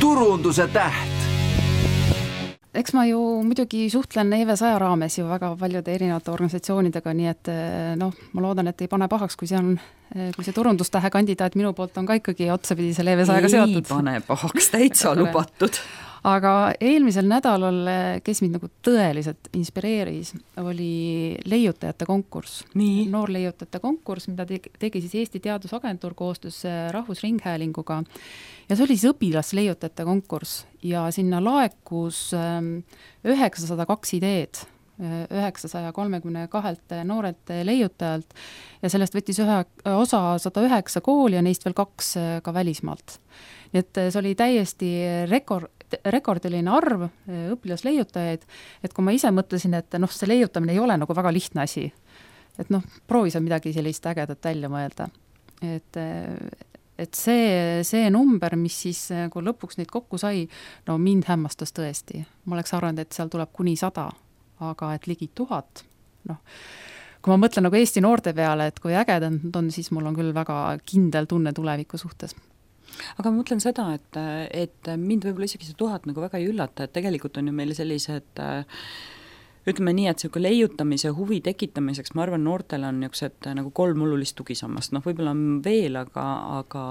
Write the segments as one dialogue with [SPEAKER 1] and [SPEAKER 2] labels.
[SPEAKER 1] turunduse täht.
[SPEAKER 2] Eks ma ju muidugi suhtlen EV100 raames ju väga paljude erinevate organisatsioonidega, nii et ma loodan, et ei pane pahaks, kui see turundustähe kandidaat minu poolt on ka ikkagi otsapidi selle EV100-ga seotud.
[SPEAKER 3] Ei pane pahaks, täitsa lubatud.
[SPEAKER 2] Aga eelmisel nädalal, kes mind nagu tõeliselt inspireeris, oli leiutajate konkurss. Noor leiutajate konkurss, mida tegi siis Eesti Teadusagentuur koostöös Rahvusringhäälinguga. Ja see oli siis õpilasleiutajate konkurss ja sinna laekus 902 ideed 932 noorelt leiutajalt ja sellest võttis osa 109 kooli ja neist veel 2 ka välismaalt. Nii et see oli täiesti rekordiline arv õpilasleiutajaid, et kui ma ise mõtlesin, et see leiutamine ei ole nagu väga lihtne asi, et proovi seal midagi sellist ägedat välja mõelda. Et see number, mis siis, kui lõpuks neid kokku sai, mind hämmastas tõesti. Ma oleks arvanud, et seal tuleb kuni 100, aga et ligi 1000. Kui ma mõtlen nagu Eesti noorte peale, et kui ägedad on, siis mul on küll väga kindel tunne tuleviku suhtes.
[SPEAKER 3] Aga ma mõtlen seda, et mind võib-olla isegi see 1000 nagu väga ei üllata, et tegelikult on ju meil sellised ütleme nii, et selline leiutamise huvi tekitamiseks, ma arvan, noortel on niisugused nagu 3 olulist tugisammast. Võib-olla on veel, aga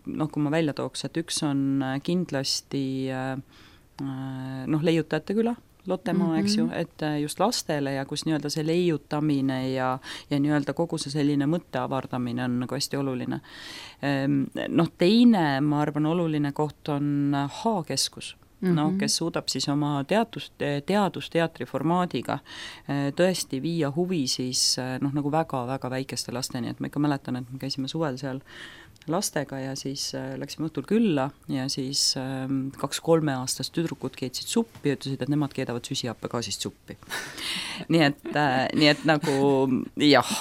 [SPEAKER 3] kui ma välja tooks, et üks on kindlasti leiutajate küla, Lottemaa, eks ju, et just lastele ja kus nii-öelda see leiutamine ja nii-öelda kogu see selline mõtte avardamine on nagu hästi oluline. Teine, ma arvan, oluline koht on H-keskus. Kes suudab siis oma teadusteatri formaadiga tõesti viia huvi siis nagu väga-väga väikeste lasteni, et ma ikka mäletan, et me käisime suvel seal lastega ja siis läksime õhtul külla ja siis 2 3-aastast tüdrukud keetsid suppi ja ütlesid, et nemad keedavad süsihappegaasist suppi. nii et nagu jah.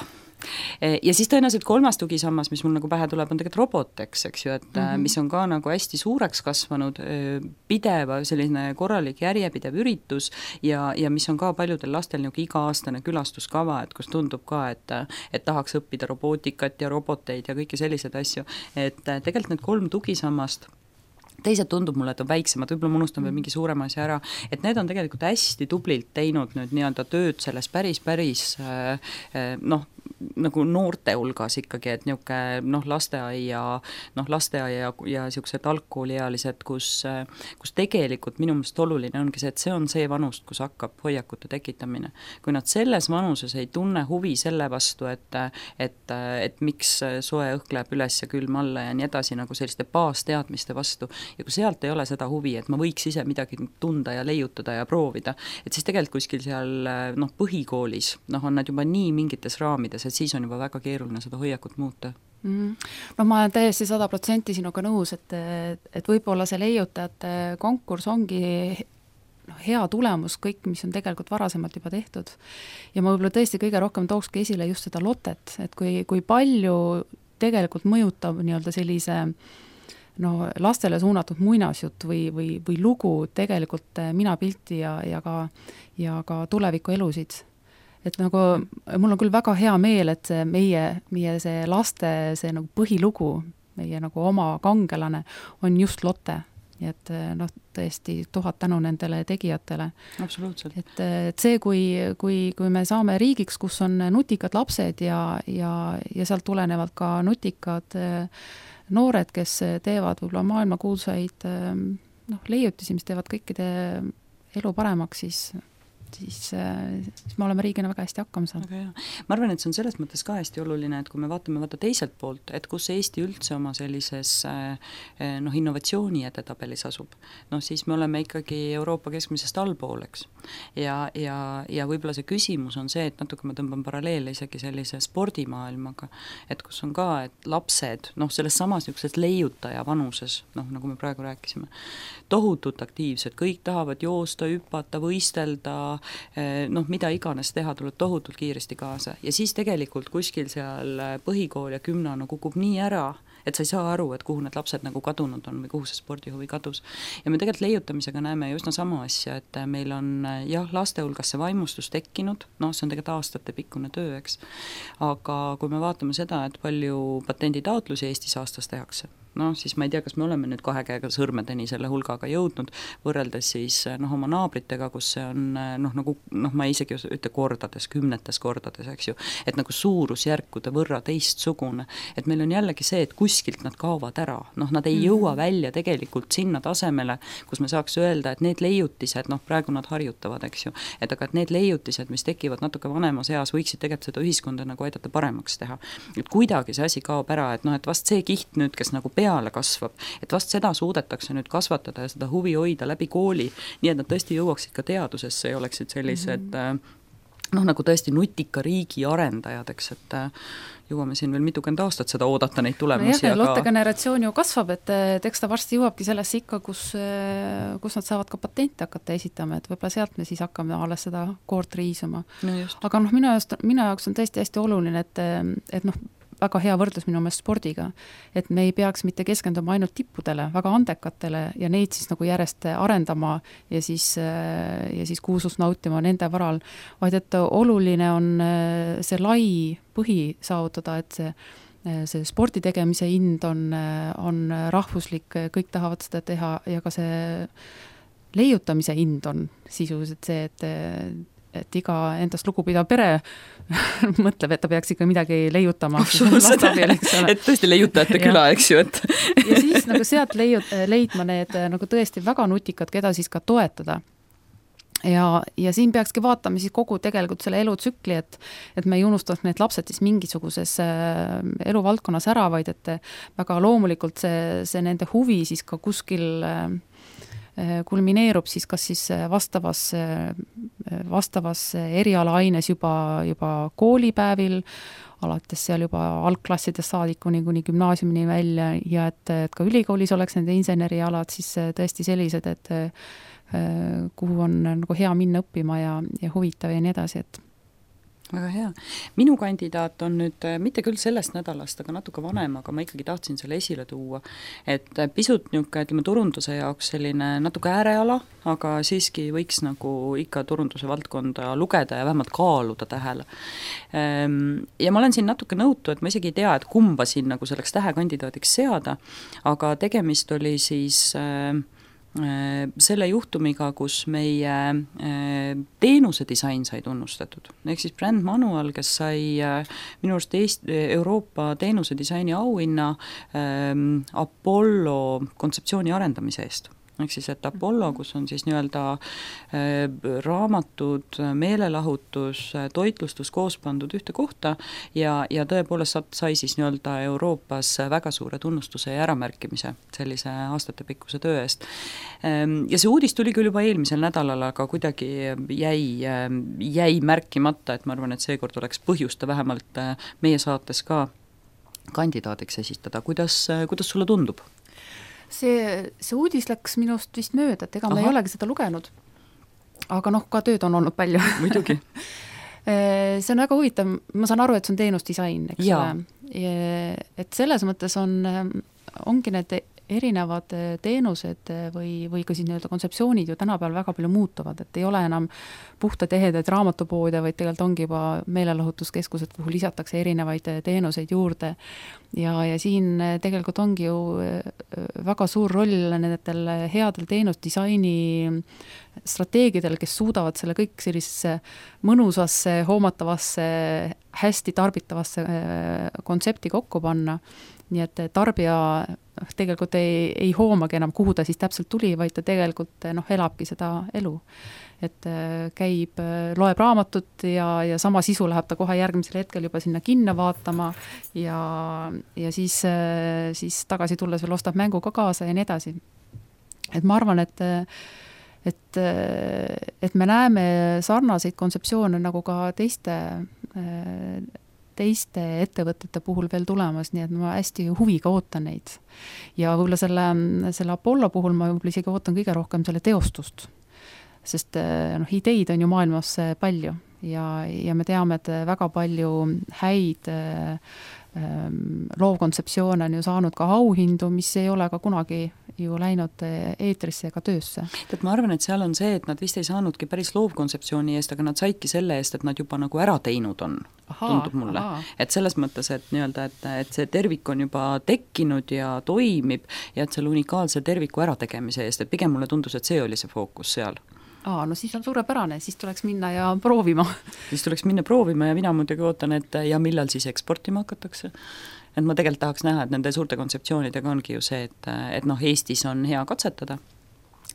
[SPEAKER 3] Ja siis tõenäoliselt 3. tugisammas, mis mul nagu pähe tuleb, on tegelikult Robotex, eks ju, et mis on ka nagu hästi suureks kasvanud, pideva selline korralik järjepidev üritus ja mis on ka paljudel lastel nagu iga-aastane külastuskava, et kus tundub ka, et tahaks õppida robootikat ja roboteid ja kõiki selliseid asju, et tegelikult need 3 tugisammast teised tundub mulle, et on väiksemad, võib-olla ma unustan veel mingi suurema asja ära, et need on tegelikult hästi tublilt teinud nüüd nii-öelda tööd selles päris nagu noorte hulgas ikkagi, et niisugune lasteaia ja siuksed algkooliealised, kus tegelikult minu meelest oluline ongi see, et see on see vanust, kus hakkab hoiakute tekitamine. Kui nad selles vanuses ei tunne huvi selle vastu, et miks soe õhk läheb üles ja külm alla ja nii edasi nagu selliste baasteadmiste vastu ja kui sealt ei ole seda huvi, et ma võiks ise midagi tunda ja leiutada ja proovida, et siis tegelikult kuskil seal põhikoolis on nad juba nii mingites raamides, et siis on juba väga keeruline seda hoiakut muuta.
[SPEAKER 2] Ma olen täiesti 100% sinuga nõus, et võib-olla see leiutajate konkurss ongi hea tulemus kõik, mis on tegelikult varasemalt juba tehtud. Ja ma võib-olla tõesti kõige rohkem tookski esile just seda Lotet, et kui palju tegelikult mõjutab nii-öelda sellise lastele suunatud muinasjutt või lugu tegelikult minapilti ja ka tuleviku elusid. Et nagu mul on küll väga hea meel, et meie see laste see nagu põhilugu, meie nagu oma kangelane on just Lotte. Nii et tõesti 1000 tänu nendele tegijatele.
[SPEAKER 3] Absoluutselt.
[SPEAKER 2] Et see, kui me saame riigiks, kus on nutikad lapsed ja sealt tulenevad ka nutikad noored, kes teevad võib-olla maailmakuulsaid leiutisi, mis teevad kõikide elu paremaks, siis me oleme riigina väga hästi hakkama saanud.
[SPEAKER 3] Ma arvan, et see on selles mõttes ka hästi oluline, et kui me vaatame teiselt poolt, et kus Eesti üldse oma sellises innovatsiooni edetabelis asub, siis me oleme ikkagi Euroopa keskmisest allpool, eks. Ja võib-olla see küsimus on see, et natuke ma tõmban paralleele isegi sellise spordimaailmaga, et kus on ka, et lapsed, selles samas niisugused leiutaja vanuses, nagu me praegu rääkisime, tohutult aktiivsed, kõik tahavad joosta, hüpata, võistelda, mida iganes teha, tuleb tohutult kiiresti kaasa. Ja siis tegelikult kuskil seal põhikool ja gümnano kukub nii ära, et sa ei saa aru, et kuhu need lapsed nagu kadunud on või kuhu see spordihuvi kadus. Ja me tegelikult leiutamisega näeme just sama asja, et meil on laste hulgas see vaimustus tekkinud, see on tegelikult aastate pikkune töö, eks. Aga kui me vaatame seda, et palju patenditaotlusi Eestis aastas tehakse, noh, siis ma ei tea, kas me oleme nüüd 2 käega sõrmedeni selle hulgaga jõudnud, võrreldes siis oma naabritega, kus see on ma isegi ütle kordades, 10 kordades, eks ju, et nagu suurusjärkude võrra teistsugune, et meil on jällegi see, et kuskilt nad kaovad ära, nad ei jõua välja tegelikult sinna tasemele, kus me saaks öelda, et need leiutised, praegu nad harjutavad, eks ju, et aga et need leiutised, mis tekivad natuke vanemas eas, võiksid tegelikult seda ühiskonda nagu aidata paremaks teha. Et kuidagi see asi kaob ära, et et vast see kiht nüüd, kes nagu peale kasvab, et vast seda suudetakse nüüd kasvatada ja seda huvi hoida läbi kooli, nii et nad tõesti jõuaksid ka teadusesse ja oleksid sellised nagu tõesti nutika riigi arendajad, eks, et jõuame siin veel mitukümmend aastat seda oodata neid tulemusi.
[SPEAKER 2] No lottegeneratsioon ju kasvab, et eks ta varsti jõuabki sellesse ikka, kus nad saavad ka patente hakata esitama, et võib-olla sealt me siis hakkame alles seda koort riisuma.
[SPEAKER 3] No
[SPEAKER 2] aga minu jaoks on tõesti hästi oluline, et väga hea võrdlus minu meelest spordiga, et me ei peaks mitte keskenduma ainult tippudele, väga andekatele ja neid siis nagu järjest arendama ja siis kuulsust nautima nende varal, vaid et oluline on see lai põhi saavutada, et see spordi tegemise hind on rahvuslik, kõik tahavad seda teha ja ka see leiutamise hind on sisuliselt see, et iga endast lugupidav pere mõtleb, et ta peaks ikka midagi leiutama.
[SPEAKER 3] Et tõesti leiutajate küla, eks ju.
[SPEAKER 2] Ja siis nagu sealt leidma need nagu tõesti väga nutikad, keda siis ka toetada. Ja siin peakski vaatama siis kogu tegelikult selle elutsükli, et me ei unustaks need lapsed siis mingisuguses eluvaldkonnas ära, vaid et väga loomulikult see nende huvi siis ka kuskil kulmineerub siis kas siis vastavas erialaaines juba koolipäevil, alates seal juba algklassides saadikuni kuni gümnaasiumini välja ja et ka ülikoolis oleks nende insenerialad siis tõesti sellised, et kuhu on nagu hea minna õppima ja huvitav ja nii edasi, et
[SPEAKER 3] väga hea. Minu kandidaat on nüüd mitte küll sellest nädalast, aga natuke vanem, aga ma ikkagi tahtsin selle esile tuua, et pisut ütleme turunduse jaoks selline natuke ääreala, aga siiski võiks nagu ikka turunduse valdkonda lugeda ja vähemalt kaaluda tähele. Ja ma olen siin natuke nõutu, et ma isegi ei tea, et kumba siin nagu selleks tähekandidaadiks seada, aga tegemist oli siis selle juhtumiga, kus meie teenuse disain sai tunnustatud. Ehk siis Brand Manual, kes sai minu arust Euroopa teenuse disaini auhinna Apollo kontseptsiooni arendamise eest. Ehk siis, et Apollo, kus on siis nii-öelda raamatud, meelelahutus, toitlustus koos pandud ühte kohta ja tõepoolest sai siis nii-öelda Euroopas väga suure tunnustuse ja äramärkimise sellise aastatepikkuse töö eest. Ja see uudis tuli küll juba eelmisel nädalal, aga kuidagi jäi märkimata, et ma arvan, et seekord oleks põhjusta vähemalt meie saates ka kandidaadiks esitada. Kuidas sulle tundub?
[SPEAKER 2] See uudis läks minust vist mööda, et ega ma ei olegi seda lugenud. Aga ka tööd on olnud palju.
[SPEAKER 3] Muidugi.
[SPEAKER 2] See on väga huvitav, ma saan aru, et see on teenusdisain, eks ole. Et selles mõttes ongi need erinevad teenused või ka siis nii-öelda kontseptsioonid ju tänapäeval väga palju muutuvad, et ei ole enam puhtad ehedaid raamatupoode, vaid tegelikult ongi juba meelelahutuskeskused, kuhu lisatakse erinevaid teenuseid juurde. Ja siin tegelikult ongi ju väga suur roll nendel headel teenusdisaini strateegidel, kes suudavad selle kõik sellisesse mõnusasse, hoomatavasse, hästi tarbitavasse kontsepti kokku panna. Nii et tarbija tegelikult ei hoomagi enam, kuhu ta siis täpselt tuli, vaid ta tegelikult elabki seda elu. Et käib, loeb raamatut ja sama sisu läheb ta kohe järgmisel hetkel juba sinna kinno vaatama ja siis tagasi tulles veel ostab mängu ka kaasa ja nii edasi. Et ma arvan, et me näeme sarnaseid kontseptsioone nagu ka teiste ettevõtete puhul veel tulemas, nii et ma hästi huviga ootan neid. Ja võib-olla selle Apollo puhul ma võib-olla isegi ootan kõige rohkem selle teostust, sest ideid on ju maailmas palju ja me teame, et väga palju häid loovkontseptsioone on ju saanud ka auhindu, mis ei ole ka kunagi ju läinud eetrisse ega töösse.
[SPEAKER 3] Et ma arvan, et seal on see, et nad vist ei saanudki päris loovkontseptsiooni eest, aga nad saidki selle eest, et nad juba nagu ära teinud on, tundub mulle. Et selles mõttes, et nii-öelda, et see tervik on juba tekkinud ja toimib ja et selle unikaalse terviku ärategemise eest, et pigem mulle tundus, et see oli see fookus seal.
[SPEAKER 2] No siis on suurepärane, siis tuleks minna ja proovima.
[SPEAKER 3] Siis tuleks minna proovima ja mina muidugi ootan, et ja millal siis eksportima hakatakse. Et ma tegelikult tahaks näha, et nende suurte kontseptsioonidega ongi ju see, et noh, Eestis on hea katsetada,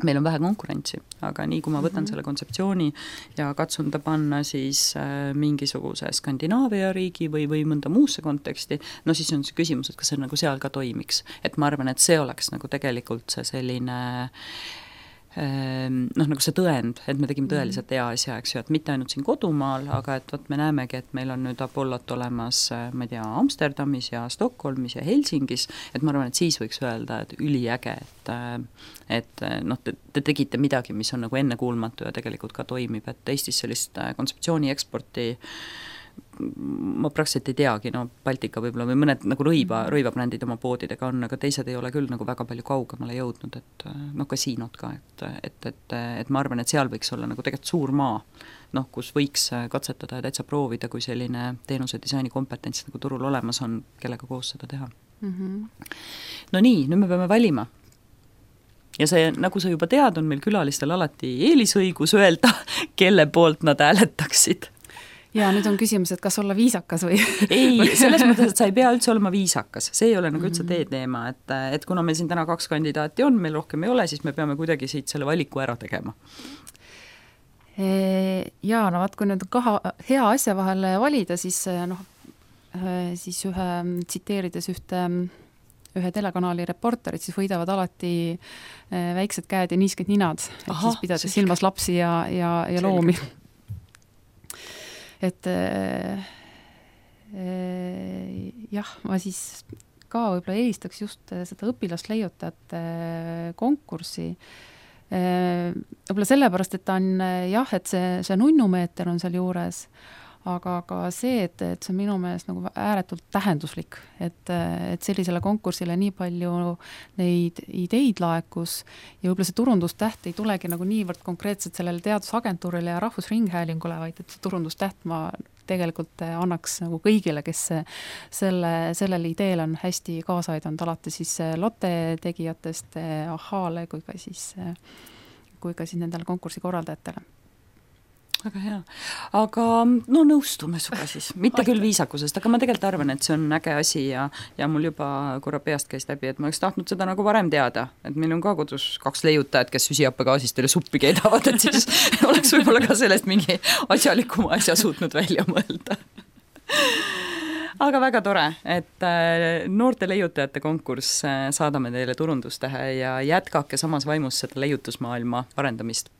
[SPEAKER 3] meil on vähe konkurentsi, aga nii kui ma võtan selle kontseptsiooni ja katsun ta panna siis mingisuguse Skandinaavia riigi või mõnda muusse konteksti, no siis on see küsimus, et kas see nagu seal ka toimiks. Et ma arvan, et see oleks nagu tegelikult see selline noh, nagu see tõend, et me tegime tõeliselt hea asja, eks ju, et mitte ainult siin kodumaal, aga et võt me näemegi, et meil on nüüd Apollot olemas, ma ei tea, Amsterdamis ja Stockholmis ja Helsingis, et ma arvan, et siis võiks öelda, et üliäge, et noh, te tegite midagi, mis on nagu ennekuulmatu ja tegelikult ka toimib, et Eestis sellist kontseptsiooni eksporti ma praktiliselt ei teagi, no Baltika võib-olla või mõned nagu rõivabrändid oma poodidega on, aga teised ei ole küll nagu väga palju kaugemale jõudnud, et noh, kasiinod ka, et ma arvan, et seal võiks olla nagu tegelikult suur maa, noh, kus võiks katsetada ja täitsa proovida, kui selline teenuse disaini kompetents nagu turul olemas on, kellega koos seda teha. No nii, nüüd me peame valima. Ja see, nagu sa juba tead, on meil külalistel alati eelisõigus öelda, kelle poolt nad hääletaksid.
[SPEAKER 2] Ja nüüd on küsimus, et kas olla viisakas või?
[SPEAKER 3] Ei, selles mõttes, et sa ei pea üldse olema viisakas. See ei ole nagu üldse teema, et kuna meil siin täna 2 kandidaati on, meil rohkem ei ole, siis me peame kuidagi siit selle valiku ära tegema.
[SPEAKER 2] Jaa, no vaat, kui nüüd hea asja vahel valida, siis noh, siis tsiteerides ühe telekanali reporterit, siis võidavad alati väiksed käed ja niisked ninad, et siis pidades silmas lapsi ja loomi. Et jah, ma siis ka võib-olla eelistaks just seda õpilasleiutajate konkurssi. Võib-olla sellepärast, et ta on jah, et see nunnumeeter on seal juures, aga ka see, et see on minu meelest nagu ääretult tähenduslik, et sellisele konkursile nii palju neid ideid laekus ja võib-olla see turundustäht ei tulegi nagu niivõrd konkreetselt sellele teadusagentuurile ja Rahvusringhäälingule, vaid et see turundustäht ma tegelikult annaks nagu kõigile, kes sellele ideele on hästi kaasa aidanud, alati siis Lotte tegijatest Ahhaale kui ka siis nendele konkursi korraldajatele.
[SPEAKER 3] Väga hea. Aga no nõustume suga siis, mitte küll viisakusest, aga ma tegelikult arvan, et see on äge asi ja mul juba korra peast käis läbi, et ma oleks tahtnud seda nagu varem teada, et meil on ka kodus 2 leiutajat, kes süsihappegaasist teile suppi keedavad, et siis oleks võib-olla ka sellest mingi asjalikuma asja suutnud välja mõelda. Aga väga tore, et noorte leiutajate konkurss saadame teile turundustähe ja jätkake samas vaimus seda leiutusmaailma arendamist.